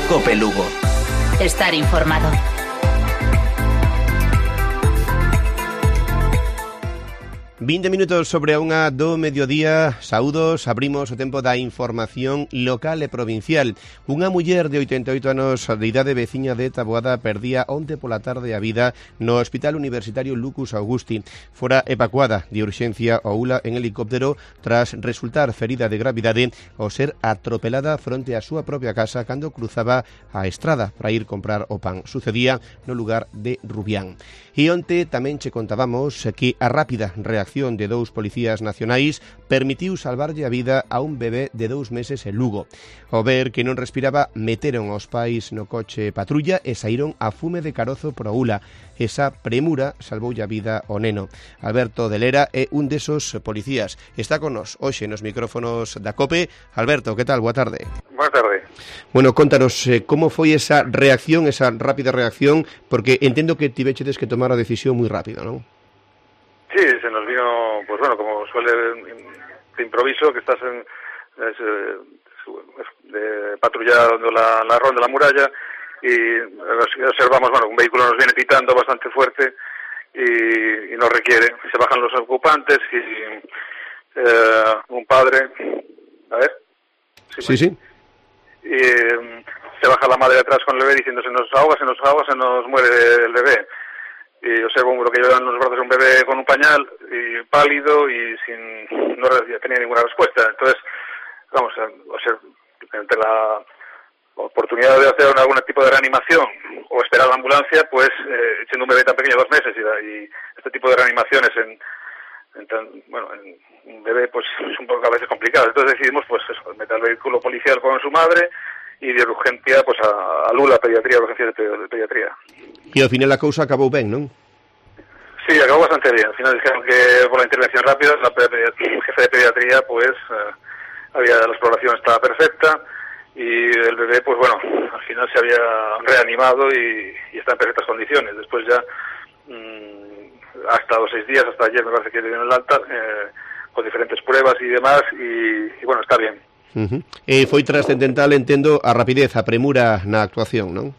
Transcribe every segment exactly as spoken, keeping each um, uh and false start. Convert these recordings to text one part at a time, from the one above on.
COPE Lugo. Estar informado. vinte minutos sobre a unha do mediodía. Saúdos, abrimos o tempo da información local e provincial. Unha muller de oitenta e oito anos de idade, veciña de Taboada, perdía onte pola tarde a vida no Hospital Universitario Lucus Augusti. Fora evacuada de urxencia ao U L A en helicóptero tras resultar ferida de gravidade ao ser atropelada fronte á súa propia casa cando cruzaba a estrada para ir comprar o pan. Sucedía no lugar de Rubián. E onte tamén che contábamos que a rápida reacción de dous policías nacionais permitiu salvarlle a vida a un bebé de dous meses en Lugo. Ao ver que non respiraba, meteron aos pais no coche patrulla e saíron a fume de carozo pro U L A. Esa premura salvoulle a vida ao neno. Alberto de Lera é un desos policías. Está con nos hoxe nos micrófonos da COPE. Alberto, que tal? Boa tarde. Boa tarde. Bueno, contanos eh, como foi esa reacción, esa rápida reacción, porque entendo que tivechedes que tomar a decisión moi rápido, non? Sí, se nos vino, pues bueno, como suele de improviso, que estás en es, de patrullando la, la ronda de la muralla y observamos, bueno, un vehículo nos viene pitando bastante fuerte y, y nos requiere. Se bajan los ocupantes y eh, un padre, a ver. Sí, sí. sí. Y eh, se baja la madre atrás con el bebé diciendo se nos ahoga, se nos ahoga, se nos muere el bebé. Y observo lo que llevan los brazos un bebé con un pañal y pálido y sin no tenía ninguna respuesta. Entonces, vamos, o sea, entre la oportunidad de hacer algún tipo de reanimación o esperar la ambulancia, pues eh, siendo un bebé tan pequeño, dos meses, y, y este tipo de reanimaciones en, en tan, bueno, en un bebé pues es un poco a veces complicado. Entonces decidimos pues eso, meter el vehículo policial con su madre y de urgencia pues a, a Lula, pediatría, urgencias de, de pediatría. E ao final a cousa acabou ben, non? Sí, acabó bastante bien. Al final dijeron que por la intervención rápida, la jefe de pediatría, pues eh, había la exploración estaba perfecta y el bebé, pues bueno, al final se había reanimado y, y está en perfectas condiciones. Después ya mmm, ha estado seis días, hasta ayer me parece que le dieron el alta, eh, con diferentes pruebas y demás, y, y bueno, está bien. Uh-huh. E foi trascendental, entendo, a rapidez, a premura na actuación, non?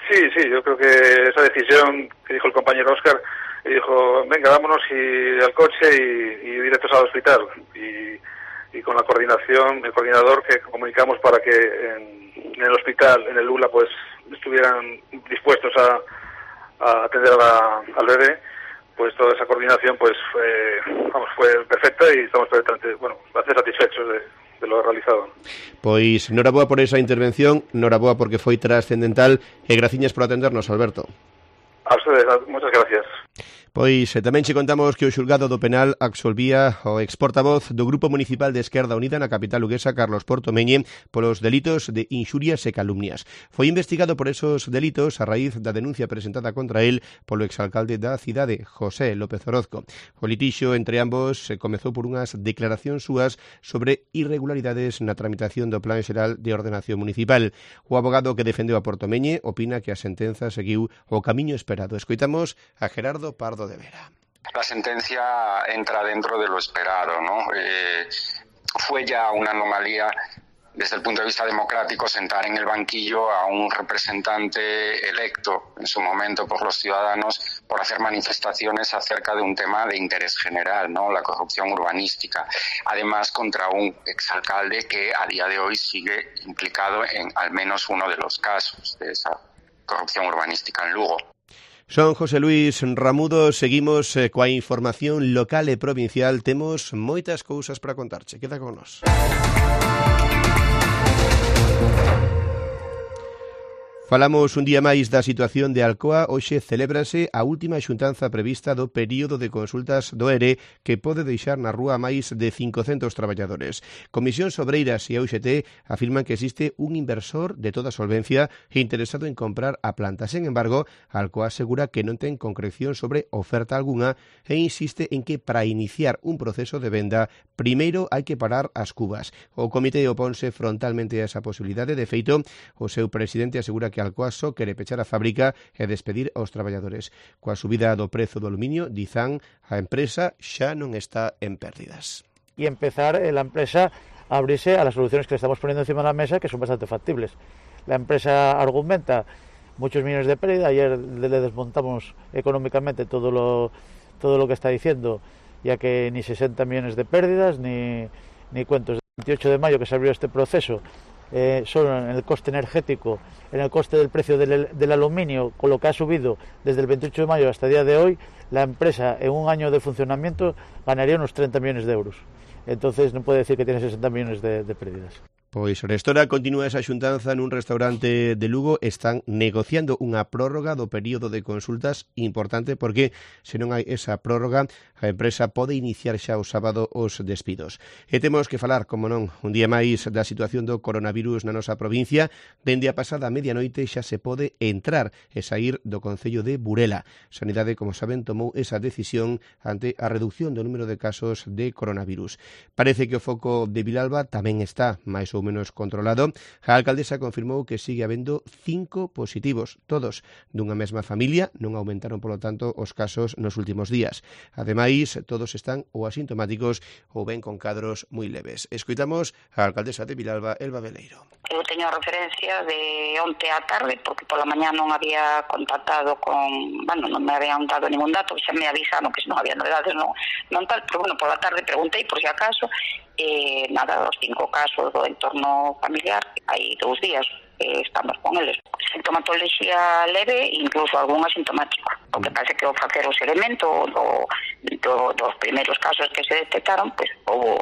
Sí, sí, yo creo que esa decisión que dijo el compañero Óscar, y dijo, venga, vámonos y al coche y, y directos al hospital. Y, y con la coordinación, el coordinador que comunicamos para que en, en el hospital, en el U L A, pues estuvieran dispuestos a, a atender a la, al bebé, pues toda esa coordinación pues fue, vamos, fue perfecta y estamos perfectamente, bueno, bastante satisfechos de, de lo realizado. Pois, noraboa por esa intervención, noraboa porque foi trascendental e graciñas por atendernos, Alberto. A ustedes, muchas gracias. Pois tamén che contamos que o xulgado do penal absolvía o exportavoz do Grupo Municipal de Esquerda Unida na capital luguesa, Carlos Portomeñe, polos delitos de inxurias e calumnias. Foi investigado por esos delitos a raíz da denuncia presentada contra él polo exalcalde da cidade, José López Orozco. O litixio entre ambos se comezou por unhas declaracións súas sobre irregularidades na tramitación do Plan Xeral de Ordenación Municipal. O abogado que defendeu a Portomeñe opina que a sentenza seguiu o camiño esperado. Escoitamos a Gerardo Pardo de Vera. La sentencia entra dentro de lo esperado, ¿no? Eh, fue ya una anomalía desde el punto de vista democrático sentar en el banquillo a un representante electo en su momento por los ciudadanos por hacer manifestaciones acerca de un tema de interés general, ¿no? La corrupción urbanística. Además, contra un exalcalde que a día de hoy sigue implicado en al menos uno de los casos de esa corrupción urbanística en Lugo. Son José Luis Ramudo, seguimos eh, coa información local e provincial. Temos moitas cousas para contarche. Queda con nós. Falamos un día máis da situación de Alcoa. Hoxe celébrase a última xuntanza prevista do período de consultas do E R E que pode deixar na rúa máis de cincocentos traballadores. Comisións Obreiras e a U X T afirman que existe un inversor de toda solvencia interesado en comprar a planta. Sen embargo, Alcoa asegura que non ten concreción sobre oferta algunha e insiste en que para iniciar un proceso de venda primeiro hai que parar as cubas. O comité oponse frontalmente a esa posibilidade. De feito, o seu presidente asegura que que Alcoa só quere pechar a fábrica e despedir aos traballadores. Coa subida do prezo do aluminio, dizan, a empresa xa non está en pérdidas. Y empezar eh, la empresa a abrirse a las soluciones que le estamos poniendo encima de la mesa, que son bastante factibles. la empresa argumenta muchos millones de pérdida. Ayer le desmontamos económicamente todo lo, todo lo que está diciendo, ya que ni sesenta millones de pérdidas, ni, ni cuentos. El veintiocho de mayo que se abrió este proceso, eh, solo en el coste energético, en el coste del precio del, del aluminio, con lo que ha subido desde el veintiocho de mayo hasta el día de hoy, la empresa en un año de funcionamiento ganaría unos treinta millones de euros. Entonces non pode decir que tiene sesenta millones de, de pérdidas. Pois restora continúa esa xuntanza nun restaurante de Lugo. Están negociando unha prórroga do período de consultas importante porque se non hai esa prórroga a empresa pode iniciar xa o sábado os despidos. E temos que falar, como non, un día máis da situación do coronavirus na nosa provincia. Dende a pasada medianoite xa se pode entrar e sair do concello de Burela. Sanidade, como saben, tomou esa decisión ante a reducción do número de casos de coronavirus. Parece que o foco de Vilalba tamén está máis ou menos controlado. A alcaldesa confirmou que sigue habendo cinco positivos, todos dunha mesma familia. Non aumentaron, polo tanto, os casos nos últimos días. Ademais, todos están ou asintomáticos ou ben con cadros moi leves. Escoitamos a alcaldesa de Vilalba, Elba Veleiro. Eu teño referencia de onte á tarde, porque pola mañá non había contactado con, bueno, non me habían dado ningún dato, xa me avisaron que se non había novedades, non, non tal, pero bueno, pola tarde preguntei por si acaso, e nada, os cinco casos do entorno familiar, hai dous días eh, estamos con eles. Sintomatoloxía leve, incluso algún asintomático. O que pasa é que ao facer o seguimento do, do, dos primeiros casos que se detectaron, pues houve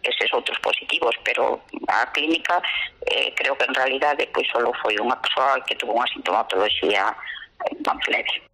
eses outros positivos, pero a clínica eh, creo que en realidade pois solo foi unha persoa que tuvo unha sintomatoloxía tan leve.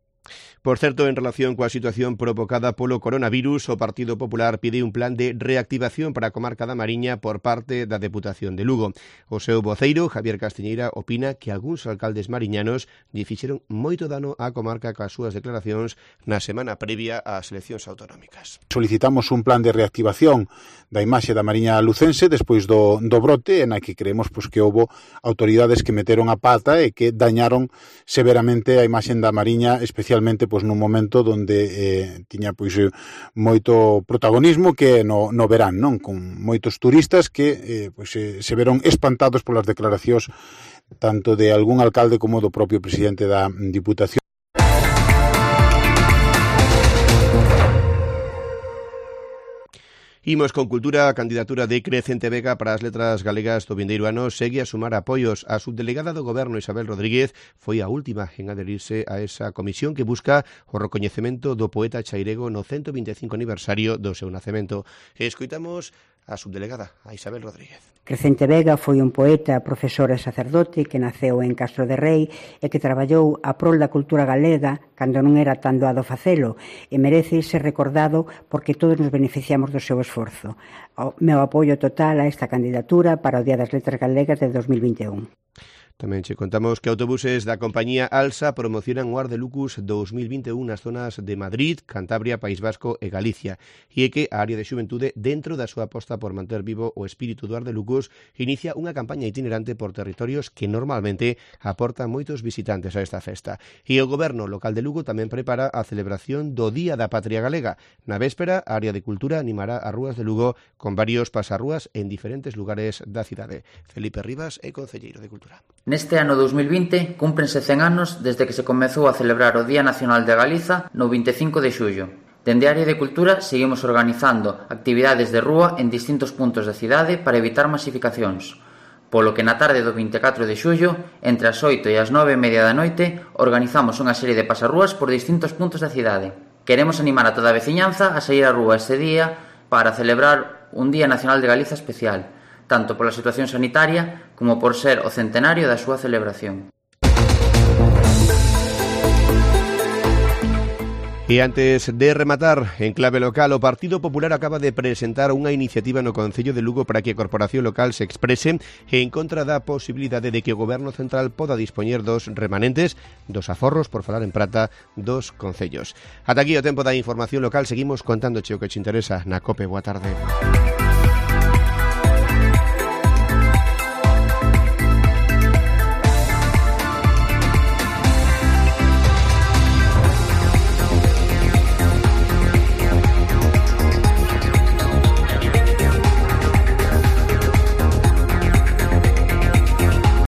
Por certo, en relación coa situación provocada polo coronavirus, o Partido Popular pide un plan de reactivación para a comarca da Mariña por parte da Deputación de Lugo. O seu voceiro, Javier Castiñeira, opina que algúns alcaldes mariñanos lle fixeron moito dano á comarca coas súas declaracións na semana previa ás eleccións autonómicas. Solicitamos un plan de reactivación da imaxe da Mariña lucense despois do, do brote, en a que creemos pues, que houbo autoridades que meteron a pata e que dañaron severamente a imaxe da Mariña, especialmente pois nun momento onde eh, tiña pois moito protagonismo, que no, no verán, non, con moitos turistas que eh, pois, eh, se veron espantados polas declaracións tanto de algún alcalde como do propio presidente da Diputación. Imos con cultura. A candidatura de Crecente Vega para as letras galegas do vindeiro ano segue a sumar apoios. A subdelegada do Goberno, Isabel Rodríguez, foi a última en adherirse a esa comisión que busca o recoñecemento do poeta chairego no ciento vinte e cinco aniversario do seu nacemento. Escoitamos a subdelegada, a Isabel Rodríguez. Crecente Vega foi un poeta, profesor e sacerdote que naceu en Castro de Rei e que traballou a prol da cultura galega cando non era tan doado facelo, e merece ser recordado porque todos nos beneficiamos do seu esforzo. O meu apoio total a esta candidatura para o Día das Letras Galegas de dos mil vinte e un. Tamén che contamos que autobuses da compañía Alsa promocionan o Ar de Lucus dos mil vinte e un nas zonas de Madrid, Cantabria, País Vasco e Galicia, e é que a área de xuventude, dentro da súa aposta por manter vivo o espírito do Ar de Lucus, inicia unha campaña itinerante por territorios que normalmente aportan moitos visitantes a esta festa. E o Goberno local de Lugo tamén prepara a celebración do Día da Patria Galega. Na véspera, a área de cultura animará as rúas de Lugo con varios pasarrúas en diferentes lugares da cidade. Felipe Rivas é concelleiro de Cultura. Neste ano dos mil vinte cúmprense cen anos desde que se comezou a celebrar o Día Nacional de Galiza no vinte e cinco de xullo. Dende a área de cultura seguimos organizando actividades de rúa en distintos puntos da cidade para evitar masificacións, polo que na tarde do vinte e catro de xullo, entre as oito e as nove e media da noite, organizamos unha serie de pasarrúas por distintos puntos da cidade. Queremos animar a toda a veciñanza a sair á rúa este día para celebrar un Día Nacional de Galiza especial, tanto pola situación sanitaria como por ser o centenario da súa celebración. E antes de rematar, en clave local, o Partido Popular acaba de presentar unha iniciativa no Concello de Lugo para que a Corporación Local se exprese en contra da posibilidade de que o Goberno Central poda dispoñer dos remanentes dos aforros, por falar en prata, dos concellos. Ata aquí o tempo da información local. Seguimos contándoche o que te interesa na COPE. Boa tarde.